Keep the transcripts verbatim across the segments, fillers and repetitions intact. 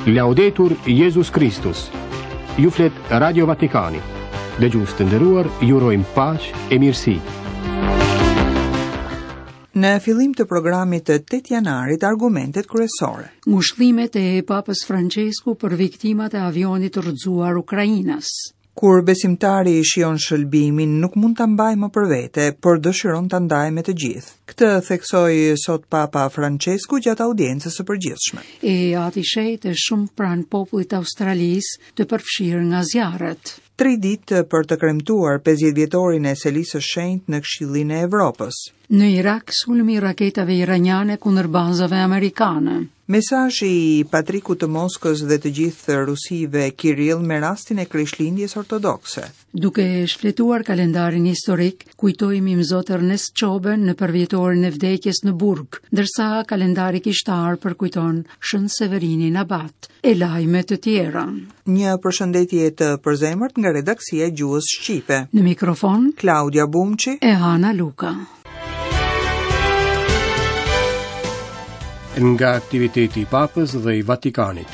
Laudetur Jezus Kristus. Ju flet Radio Vatikani. Dëgjues të nderuar, ju urojmë paqe e mirësi. Në fillim të programit të tetë janarit, argumentet kryesore. Ngushëllimet e Papës Francesku për viktimat e avionit të rrëzuar ukrainas. Kur besimtari i shijon shëlbimin, nuk mund ta mbajë më për vete, por dëshiron ta ndajë me të gjithë. Këtë theksoi sot Papa Francesku gjatë audiencës së përgjithshme. E ati shenjt është shumë pranë popullit të Australisë të përfshirë nga zjarret. Tri ditë për të kremtuar pesëdhjetë vjetorin e Selisë së Shenjtë në Këshillin e Evropës. Në Irak, sulmi i raketave iraniane kundër bazave amerikane. Mesazhi i Patrikut të Moskës dhe të gjithë Rusive Kirill me rastin e Krishtlindjes ortodokse. Duke shfletuar kalendarin historik, kujtojmë Imzot Ernest Çoben në përvjetorin e vdekjes në burg, ndërsa kalendari kishtar përkujton Shën Severinin Abat e lajme të tjera. Një përshëndetje të përzemërt nga redaksia e Gjuhës Shqipe. Në mikrofon Klaudia Bumçi e Hana Luka. Nga aktiviteti i Papës dhe i Vatikanit.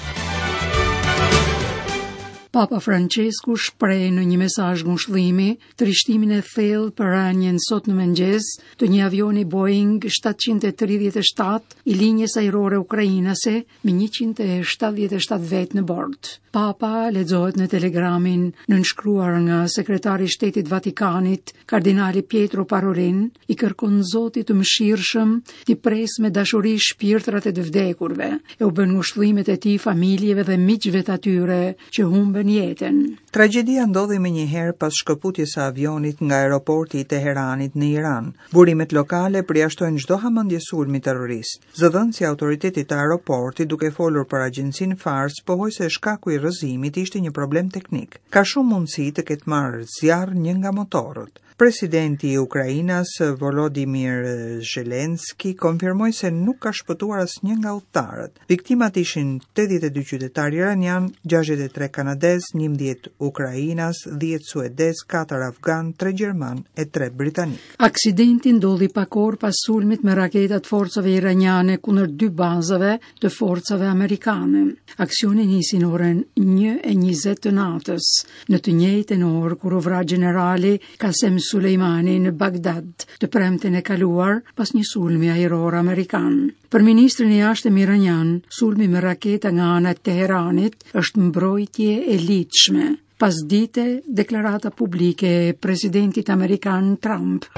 Papa Francesku shpreh në një mesazh ngushëllimi trishtimin e thellë për rënien sot në mëngjes të një avioni Boeing shtatëqind e tridhjetë e shtatë i linjës ajrore ukrainase me njëqind e shtatëdhjetë e shtatë vetë në bord. Papa lexohet në telegramin nënshkruar nga sekretari i Shtetit Vatikanit, kardinali Pietro Parolin, i kërkon Zotit të mëshirshëm t'i presë me dashuri shpirtrat e të vdekurve, e u bën ngushëllimet e tij familjeve dhe miqve të atyre që humbën jetën. Tragjedia ndodhi menjëherë pas shkëputjes së avionit nga aeroporti i Teheranit në Iran. Burimet lokale përjashtojnë çdo hamendje sulmi terrorist. Zëdhënësi i autoritetit të aeroportit, duke folur për agjencinë Fars, pohoi se shkaku i rrëzimit ishte një problem teknik. Ka shumë mundësi të ketë marrë zjarr një nga motorët. Presidenti i Ukrainës Volodymyr Zelensky konfirmoi se nuk ka shpëtuar asnjë nga udhëtarët. Viktimat ishin tetëdhjetë e dy qytetarë iranian, gjashtëdhjetë e tre kanadez, njëmbëdhjetë ukrainas, dhjetë suedez, katër afgan, tre gjerman e tre britanik. Aksidenti ndodhi pak orë pas sulmit me raketat forcave iraniane kundër dy bazave të forcave amerikane. Aksioni nisi në orën një e njëzet të natës, në të njëjtën orë kur u vra gjenerali Kasem Soleimani në Bagdad, të premten e kaluar pas një sulmi ajror amerikan. Për ministrin e jashtëm iranian, sulmi me raketa nga ana e Teheranit është mbrojtje e ligjshme. Pas dite, deklarata publike e presidentit amerikan Trump.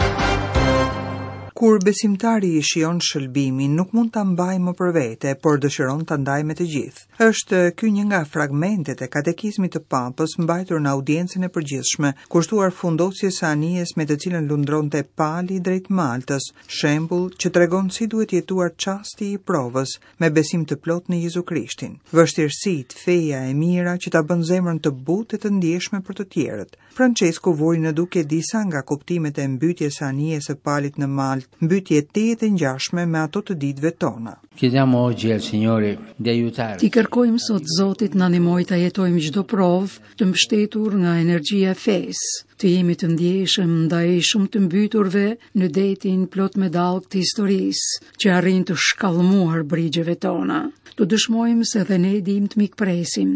Kur besimtari i shijon shëlbimin, nuk mund ta mbajë më për vete, por dëshiron ta ndajë me të gjithë. Është ky një nga fragmentet e katekizmit të Papës mbajtur në audiencën e përgjithshme, kushtuar fundosjes së anijes me të cilën lundronte Pali drejt Maltës, shembull që tregon si duhet jetuar çasti i provës me besim të plotë në Jezu Krishtin. Vështirësitë, feja e mira që ta bën zemrën të butë e të ndjeshme për të tjerët. Francesku vuri në duke disa nga kuptimet e mbytjes së anijes së Palit në Maltë, mbytje tejet e ngjashme me ato të ditëve tona. Chiediamo oggi al Signore di aiutarci. Ti kërkojmë sot Zotit na ndihmoj ta jetojmë çdo provë të mbështetur nga energjia e fesë, të jemi të ndjeshëm ndaj shumë të mbyturve në detin plot me dallgë të historisë, që arrin të shkallmuar brigjeve tona. Të dëshmojmë se dhe ne dim të mikpresim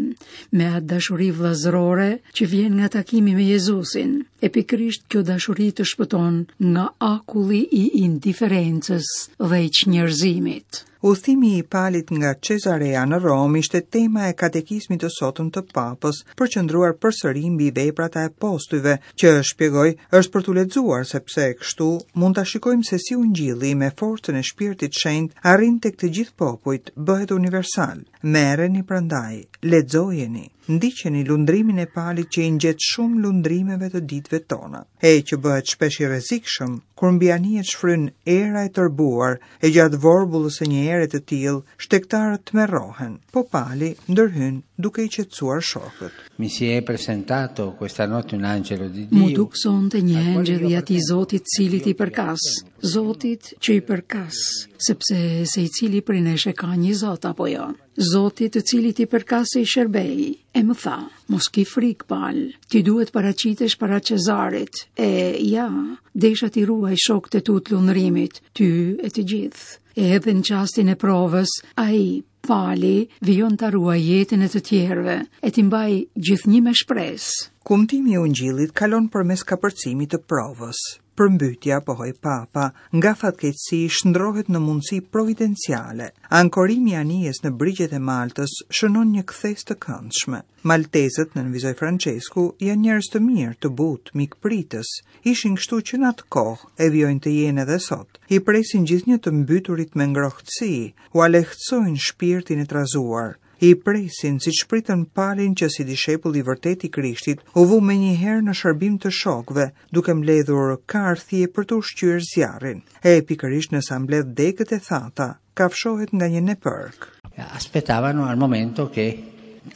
me atë dashuri vëllazërore që vjen nga takimi me Jezusin. E pikërisht kjo dashuri të shpëton nga akulli i indiferencës dhe i çnjerëzimit. Udhëtimi i Palit nga Cezarea në Romë ishte tema e katekizmit të sotëm të Papës, përqendruar përsëri mbi veprat e apostujve, që shpjegoi është për t'u lexuar sepse kështu mund ta shikojmë se si ungjilli me forcën e Shpirtit Shenjt arrin tek të gjithë popujt, bëhet universal. Merreni prandaj, lexojeni, ndiqeni lundrimin e Palit që i ngjet shumë lundrimeve të ditëve tona, e që bëhet shpesh i rrezikshëm kur mbi anijet shfryn era e tërbuar e gjatë vorbullës së një ere të tillë, shtegtarët tmerrohen, po Pali ndërhyn duke i qetësuar shokët. Mi si è presentato questa notte un angelo di Mu Dio. duk sonte një engjëll i atij Zotit cilit i përkas, Zotit që i përkas, sepse se i cili prej nesh e ka një Zot apo jo. Zotit të cilit i përkas e i shërbej, e më tha, mos ki frikë, Pal, ti duhet paraqitesh para Cezarit, e ja, desha t'i ruaj shokët e tu të lundrimit, ty e të gjithë. E edhe në çastin e provës, ai, Pali vijon ta ruajë jetën e të tjerëve e t'i mbajë gjithnjë me shpresë. Kumtimi i Ungjillit kalon përmes kapërcimit të provës. Përmbytja, pohoi Papa, nga fatkeqësi shndrohet në mundësi providenciale. Ankorimi i anijes në brigjet e Maltës shënon një kthesë të këndshme. Maltezët, nënvizoi Francesku, janë njerëz të mirë, të butë, mikpritës. Ishin kështu që në atë kohë e vijojnë të jenë edhe sot. I presin gjithnjë të mbyturit me ngrohtësi, ua lehtësojnë shpirtin e trazuar. I presin siç pritën Palin që si dishepull i vërtet i Krishtit u vu menjëherë në shërbim të shokëve, duke mbledhur karthje për të ushqyer zjarrin. E pikërisht nësa mbledh degët e thata, kafshohet nga një nepërk. Aspettavano al momento che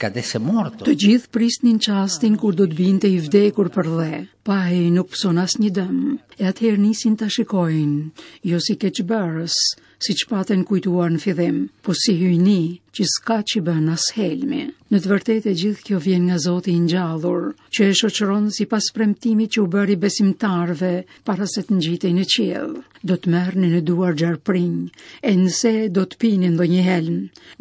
cadesse morto. Të gjithë prisnin çastin kur do të binte i vdekur për dhe, pa ai nuk pëson asnjë dëm. E atëherë nisin ta shikojnë, jo si keqbërës, siç patën kujtuar në fillim, po si hyjni që s'ka që bën as helmi. Në të vërtetë e gjithë kjo vjen nga Zoti i ngjallur, që e shoqëron sipas premtimit që u bëri besimtarëve para se të ngjitej në qiell. Do të merrni në duar gjarprinj, e nëse do të pini ndonjë helm,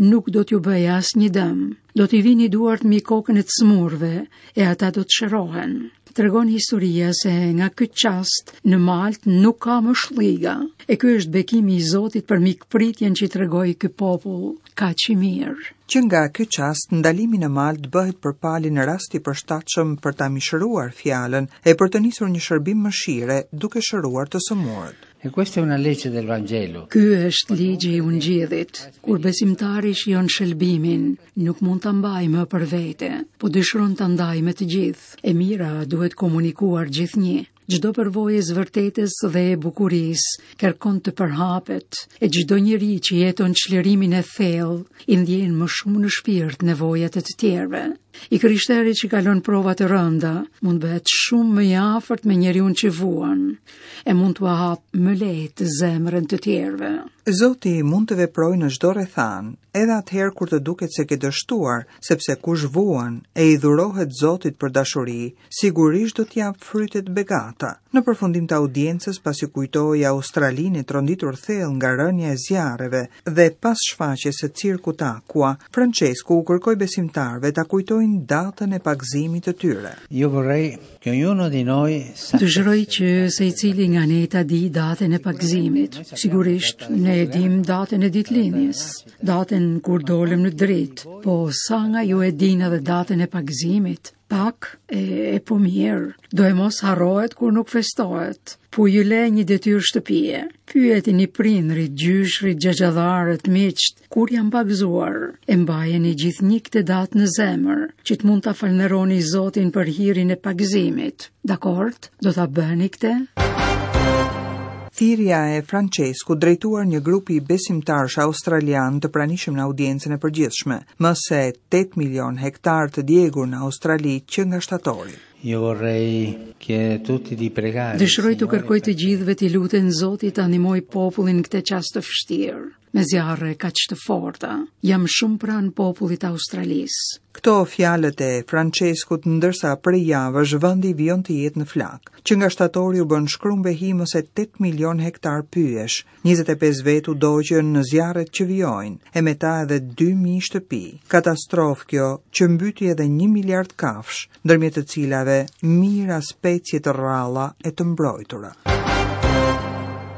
nuk do t'ju bëjë asnjë dëm. Do t'i vini duart mbi kokën e të smurve, e ata do të shërohen. Tregon historia se nga ky çast në Malt nuk ka më shlliga. E ky është bekimi i Zotit për mikpritjen që i tregoi ky popull kaq i mirë. Që nga ky çast, ndalimi në Malt bëhet për Palin rast i përshtatshëm për ta mishëruar fjalën e për të nisur një shërbim mëshire duke shëruar të sëmurët. E questa è una legge del Vangelo. Ky është ligji i Ungjillit. Kur besimtari shijon shëlbimin, nuk mund ta mbajë më për vete, po dëshiron ta ndajë me të gjithë. E mira duhet komunikuar gjithnjë. Çdo përvojë e vërtetës dhe e bukurisë kërkon të përhapet, e çdo njeri që jeton çlirimin e thellë i ndjen më shumë në shpirt nevojat e të tjerëve. I krishteri që kalon prova të rënda mund bëhet shumë më i afërt me njeriun që vuan, e mund t'ua hap më lehtë zemrën të tjerëve. Zoti mund të veprojë në çdo rrethanë, edhe atëherë kur të duket se ke dështuar, sepse kush vuan e i dhurohet Zotit për dashuri, sigurisht do t'jap frytet begata. Në përfundim të audiencës, pasi kujtoi Australinë e tronditur thellë nga rënia e zjarreve dhe pas shfaqjes së cirkut Aqua, Francesku u kërkoi besimtarëve ta kujtojnë datën e pagëzimit të tyre. Io vorrei che ognuno di noi Dëshiroj që secili nga ne ta di datën e pagëzimit. Sigurisht, ne e dim datën e ditëlindjes, datën kur dolëm në dritë, po sa nga ju e dinë edhe datën e pagëzimit? Pak e, e po mirë, do e mos harrohet kur nuk festohet. Po ju le një detyrë shtëpie. Pyetini prindrit, gjyshrit, xhaxhallarët, miqt, kur janë pagëzuar. E mbajeni gjithnjë këtë datë në zemër, që të mund ta falënderoni Zotin për hirin e pagëzimit. Dakord? Do ta bëni këtë? Thirrja e Francesku drejtuar një grupi besimtarësh australian të pranishëm në audiencën e përgjithshme, më se tetë milion hektar të djegur në Australi që nga shtatori. Io vorrei chiedere a tutti di pregare. Dëshiroj t'u kërkoj të gjithëve t'i luten Zotit ta ndihmojë popullin këtë çast të vështirë, me zjarre kaq të forta. Jam shumë pranë popullit të Australisë. Këto fjalët e Franceskut, ndërsa prej javësh vendi vijon të jetë në flak. Që nga shtatori u bën shkrumb e hi më se tetë milion hektar pyjesh, njëzet e pesë vetë u dogjën në zjarret që vijojnë, e me ta edhe dy mijë shtëpi. Katastrofë kjo që mbyti edhe një miliard kafsh, ndërmjet të cilave mijëra specie të rralla e të mbrojtura.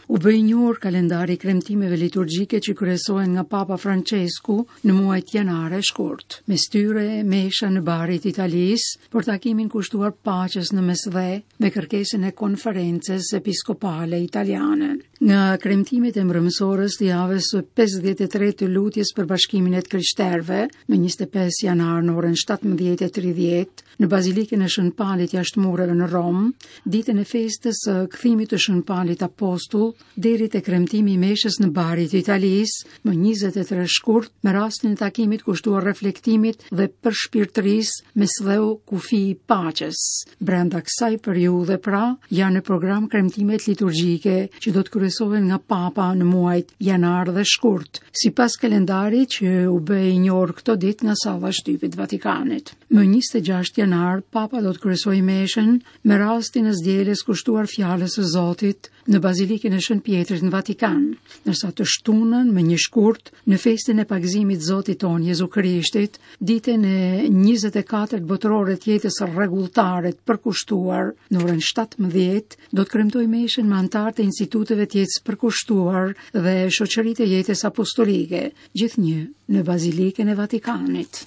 U bë i njohur kalendari i kremtimeve liturgjike që kryesohen nga Papa Francesku në muajt janar e shkurt. Mes tyre mesha në Bari të Italisë për takimin kushtuar paqes në Mesdhe me kërkesën e Konferencës Episkopale Italiane. Nga kremtimet e mbrëmësorës të javës së pesëdhjetë e tre të lutjes për bashkimin e të krishterëve, më njëzet e pesë janar në orën shtatëmbëdhjetë e tridhjetë, në Bazilikën e Shën Palit jashtë mureve në Romë, ditën e festës së kthimit të Shën Palit Apostull, deri te kremtimi i meshës në Bari të Italisë, më njëzet e tre shkurt, me rastin e takimit kushtuar reflektimit dhe përshpirtërisë Mesdheu kufi i paqes. Brenda kësaj periudhe pra, janë në program kremtimet liturgjike që do të kryesohen nga Papa në muajt janar dhe shkurt, sipas kalendarit që u bë i njohur këto ditë nga salla e shtypit Vatikanit. Më njëzet e gjashtë janar, Papa do të kryesojë meshën me rastin e zgjedhjes kushtuar fjalës së Zotit në Bazilikën e Shën Pietrit në Vatikan, ndërsa të shtunën më një shkurt në festën e pagëzimit Zotit ton Jezu Krishtit, ditën e njëzet e katërt botërore të jetës rregulltare të përkushtuar në orën shtatëmbëdhjetë, do të kremtojë meshën me anëtarët e instituteve të jetës përkushtuar dhe shoqëritë e jetës apostolike, gjithnjë në Bazilikën e Vatikanit.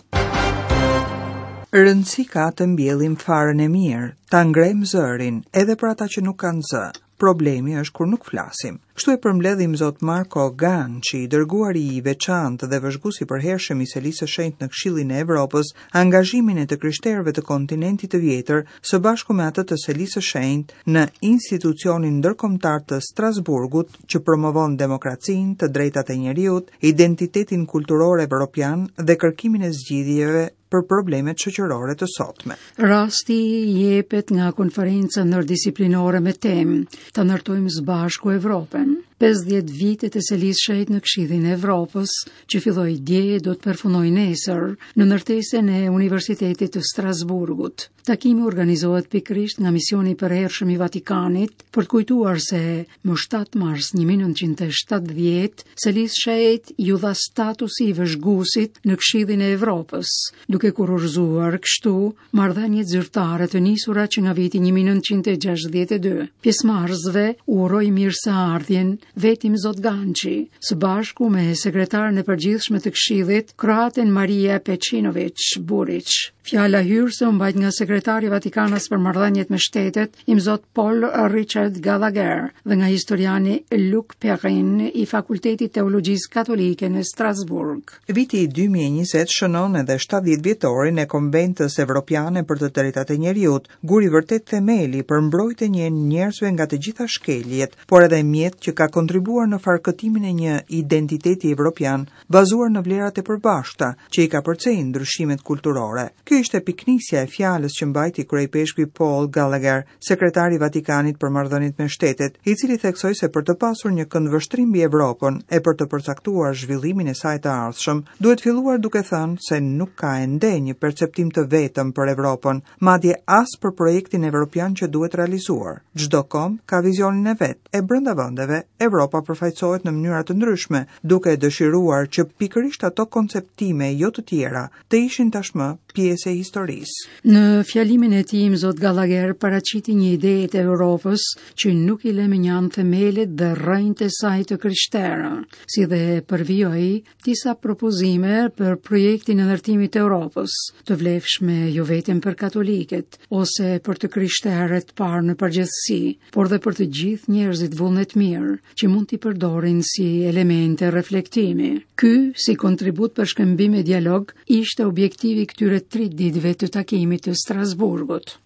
Rëndësi ka të mbjellim farën e mirë, ta ngrem zërin, edhe për ata që nuk kanë zë. Problemi është kur nuk flasim. Kështu e përmbledhim Zot Marko Ganci, i dërguari i veçantë dhe vëzhguesi i përhershëm i Selisë së Shenjtë në Këshillin e Evropës, angazhimin e të krishterëve të kontinentit të vjetër së bashku me atë të Selisë së Shenjtë në institucionin ndërkombëtar të Strasburgut që promovon demokracinë, të drejtat e njeriut, identitetin kulturor evropian dhe kërkimin e zgjidhjeve për problemet shoqërore të sotme. Rasti jepet nga konferenca ndërdisiplinore me temë Ta ndërtojmë së bashku Evropën. pesëdhjetë vitet e Selisë Shenjtë në Këshillin e Evropës, që filloi dje do të përfundojë nesër në ndërtesën e Universitetit të Strasburgut. Takimi organizohet pikërisht nga misioni i përhershëm i Vatikanit për të kujtuar se më shtatë mars një mijë e nëntëqind e shtatëdhjetë Selisë Shenjtë iu dha statusi i vëzhguesit në Këshillin e Evropës, duke kurorzuar kështu marrëdhëniet zyrtare të nisura që nga viti një mijë e nëntëqind e gjashtëdhjetë e dy. Pjesëmarrësve u uroi mirëseardhjen vetim Zot Ganci, së bashku me sekretaren e përgjithshme të Këshillit, kroaten Maria Pejčinović Burić. Fjala hyrëse u mbajt nga sekretari Vatikanas për marrëdhëniet me shtetet, imzot Paul Richard Gallagher, dhe nga historiani Luc Perrin i Fakultetit Teologjisë Katolike në Strasburg. Viti dy mijë e njëzet shënon edhe shtatëdhjetë vjetorin e Konventës Evropiane për të Drejtat e Njeriut, guri vërtet themeli për mbrojtjen e njerëzve nga të gjitha shkeljet, por edhe mjet që ka kontribuar në farkëtimin e një identiteti evropian bazuar në vlerat e përbashkëta që i ka përcejnë ndryshimet kulturore. Kjo ishte piknisja e fjalës që mbajti kryepeshkvi Paul Gallagher, sekretari i Vatikanit për marrëdhëniet me shtetet, i cili theksoi se për të pasur një këndvështrim mbi Evropën e për të përcaktuar zhvillimin e saj të ardhshëm, duhet filluar duke thënë se nuk ka ende një perceptim të vetëm për Evropën, madje as për projektin evropian që duhet realizuar. Çdo komb ka vizionin e vet, e brenda vendeve Evropa përfaqësohet në mënyra të ndryshme, duke dëshiruar që pikërisht ato konceptime jo të tjera të ishin tashmë pjesë e historisë. Në fjalimin e tij, Zot Gallagher paraqiti një ide të Evropës që nuk i lë më njanë themelet dhe rrënjët e saj të krishtera, si dhe përvijoi disa propozime për projektin e ndërtimit të Evropës, të vlefshme jo vetëm për katolikët ose për të krishterët parë në përgjithësi, por dhe për të gjithë njerëzit vullnet mirë që mund t'i përdorin si elemente reflektimi. Ky, si kontribut për shkëmbim e dialog, ishte objektivi i këtyre tri ditëve të takimit të Strasburgut.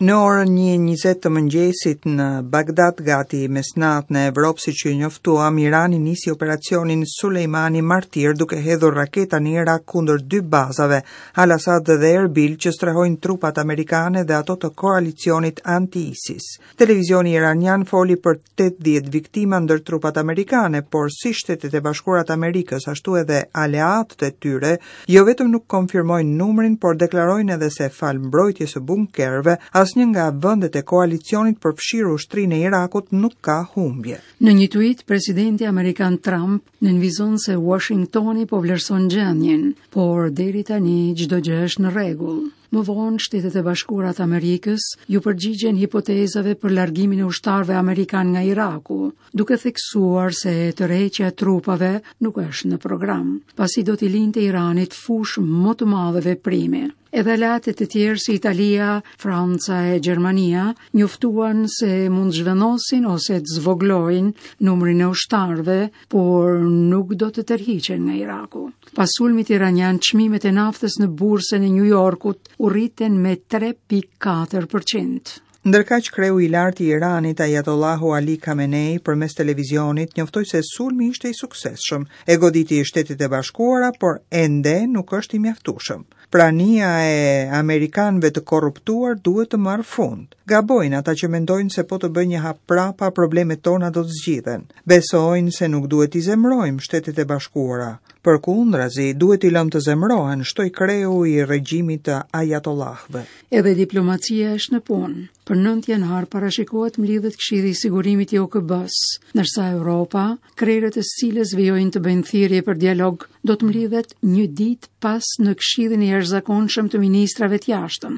Në orën një e njëzet të mëngjesit në Bagdad, gati mesnatë në Evropë, siç ju njoftuam, Irani nisi operacionin Sulejmani Martir duke hedhur raketa në Irak kundër dy bazave, Al-Asad dhe Erbil, që strehojnë trupat amerikane dhe ato të koalicionit anti-ISIS. Televizioni iranian foli për tetëdhjetë viktima ndër trupat amerikane, por si Shtetet e Bashkuara të Amerikës, ashtu edhe aleatët e tyre, jo vetëm nuk konfirmojnë numrin, por deklarojnë edhe se fal mbrojtjes së bunkerëve, asnjë nga vendet e koalicionit përfshirë ushtrinë e Irakut nuk ka humbje. Në një tweet, presidenti amerikan Trump nënvizon se Washingtoni po vlerëson gjendjen, por deri tani çdo gjë është në rregull. Më vonë, Shtetet e Bashkuara të Amerikës ju përgjigjen hipotezave për largimin e ushtarëve amerikan nga Iraku, duke theksuar se tërheqja e trupave nuk është në program, pasi do t'i linte Iranit fushë më të madhe veprimi. Edhe aleatët e tjerë si Italia, Franca e Gjermania njoftuan se mund zhvendosin ose të zvoglojnë numrin e ushtarëve, por nuk do të tërhiqen nga Iraku. Pas sulmit iranian, çmimet e naftës në bursën e New Yorkut u rritën me tre pikë katër përqind. Ndërkaq kreu i lartë i Iranit, Ayatollahu Ali Khamenei, përmes televizionit njoftoi se sulmi ishte i suksesshëm, e goditi Shtetet e Bashkuara, por ende nuk është i mjaftueshëm. Prania e amerikanëve të korruptuar duhet të marrë fund. Gabojnë ata që mendojnë se po të bëjnë një hap prapa, problemet tona do të zgjidhen. Besojnë se nuk duhet t'i zemrojmë Shtetet e Bashkuara. Përkundrazi, duhet t'i lëmë të zemrohen, shtoi kreu i regjimit të ajatollahëve. Edhe diplomacia është në punë. Për nëntë janar parashikohet mblidhet Këshilli i Sigurimit i O K B-s, ndërsa Europa, krerët e së cilës vijojnë të bëjnë thirrje për dialog, do të mblidhet një ditë pas në Këshillin e Jashtëzakonshëm të Ministrave të Jashtëm.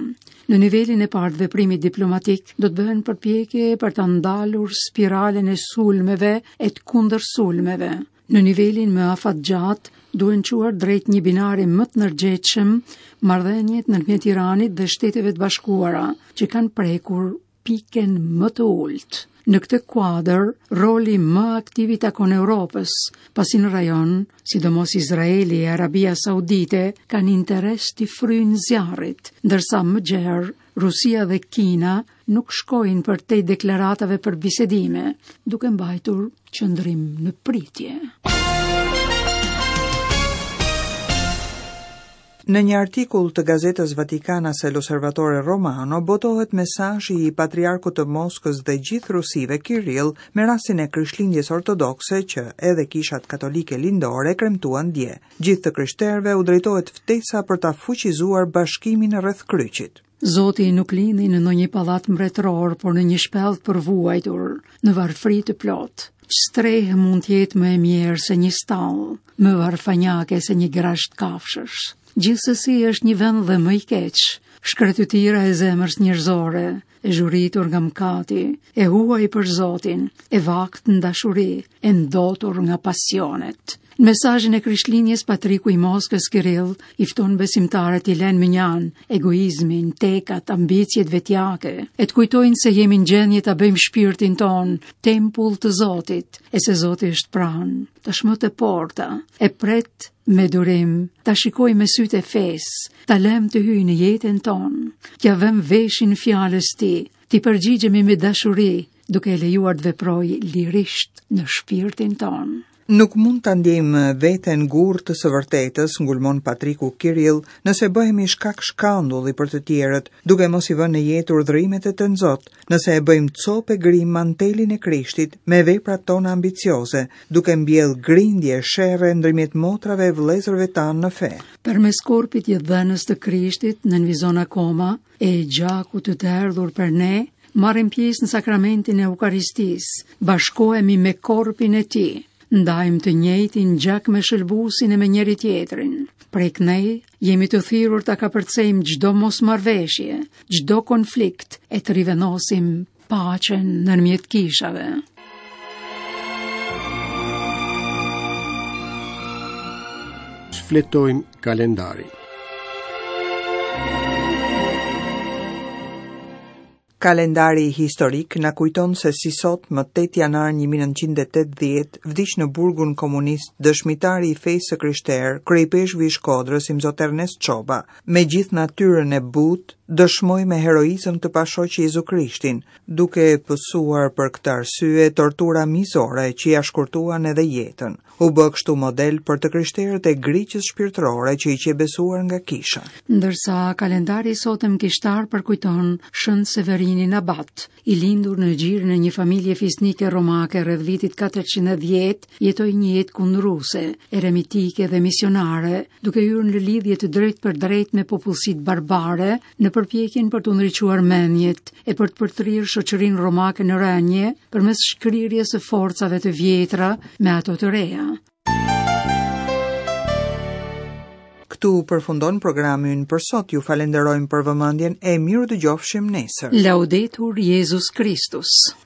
Në nivelin e parë të veprimit diplomatik do të bëhen përpjekje për ta ndalur spiralen e sulmeve e të kundërsulmeve. Në nivelin më afatgjatë duhen çuar drejt një binari më të ndërgjegjshëm marrëdhëniet ndërmjet Iranit dhe Shteteve të Bashkuara, që kanë prekur pikën më të ulët. Në këtë kuadër, roli më aktiv i takon Europës, pasi në rajon, sidomos Izraeli e Arabia Saudite, kanë interes t'i fryjnë zjarrit, ndërsa më gjerë, Rusia dhe Kina nuk shkojnë për te deklaratave për bisedime, duke mbajtur qëndrim në pritje. Në një artikull të gazetës Vatikanase L'Osservatore Romano botohet mesazhi i patriarkut të Moskës dhe gjithë Rusive Kirill me rastin e Krishtlindjes ortodokse që edhe kishat katolike lindore kremtuan dje. Gjithë të krishterëve u drejtohet ftesa për ta fuqizuar bashkimin rreth kryqit. Zoti nuk lindi në ndonjë pallat mbretëror, por në një shpellë të përvuajtur, në varfëri të plotë. Ç'strehë mund të jetë më e mirë se një stallë, më varfanjake se një grasht kafshësh. Gjithsesi është një vend dhe më i keq, shkretëtira e zemrës njerëzore, e zhuritur nga mëkati, e huaj për Zotin, e vakt në dashuri, e ndotur nga pasionet. Në mesazhin e Krishtlindjes, Patriku i Moskës Kirill i fton besimtarët i lënë mënjanë egoizmin, tekat, ambiciet vetjake, e të kujtojnë se jemi në gjendje ta bëjmë shpirtin ton tempull të Zotit, e se Zoti është pranë, tashmë te porta, e pret me durim, ta shikoj me sytë e fesë, ta lëm të hyjë në jetën tonë, t'ia vëm veshin fjalës tij, t'i përgjigjemi me dashuri, duke e lejuar të veprojë lirisht në shpirtin tonë. Nuk mund ta ndjejmë veten gurr të së vërtetës, ngulmon Patriku Kirill, nëse bëhemi shkak shkandulli për të tjerët, duke mos i vënë në jetë urdhërimet e Tënzot, nëse e bëjmë copë e grim mantelin e Krishtit me veprat tona ambicioze, duke mbjell grindje e sherre ndërmjet motrave e vëllezërve tanë në fe. Përmes korpit jetëdhënës të Krishtit, nënvizon akoma, e gjakut të derdhur për ne, marrim pjesë në sakramentin e Eukaristisë, bashkohemi me korpin e tij, ndajmë të njëjtin gjak me shëlbusin e me njëri tjetrin. Prej kënej jemi të thirrur ta kapërcejmë çdo mosmarrveshje, çdo konflikt e të rivenosim paqen ndërmjet kishave. Shfletojmë kalendarin. Kalendari historik na kujton se si sot më tetë janar një mijë e nëntëqind e tetëdhjetë vdiq në burgun komunist dëshmitari i fesë së krishterë, kryepeshkvi i Shkodrës, Imzot Ernest Çoba. Me gjithë natyrën e butë, dëshmoi me heroizëm të pashoq Jezu Krishtin, duke pësuar për këtë arsye tortura mizore që ia shkurtuan edhe jetën. U bë kështu model për të krishterët e griqës shpirtërore që i qe besuar nga kisha. Ndërsa kalendari i sotëm kishtar përkujton Shën Severinin Abat, i lindur në gjirin e një familje fisnike romake rreth vitit katërqind e dhjetë, jetoi një jetë kundruse, eremitike dhe misionare, duke hyrë në lidhje të drejtë për drejtë me popullsitë barbare në përpjekjen për të ndriçuar mendjet e për të përtrirë shoqërinë romake në rënje përmes shkrirjes së forcave të vjetra me ato të reja. Këtu përfundon programi ynë për sot. Ju falenderojmë për vëmendjen e mirë dëgjofshim nesër. Laudetur Jezus Kristus.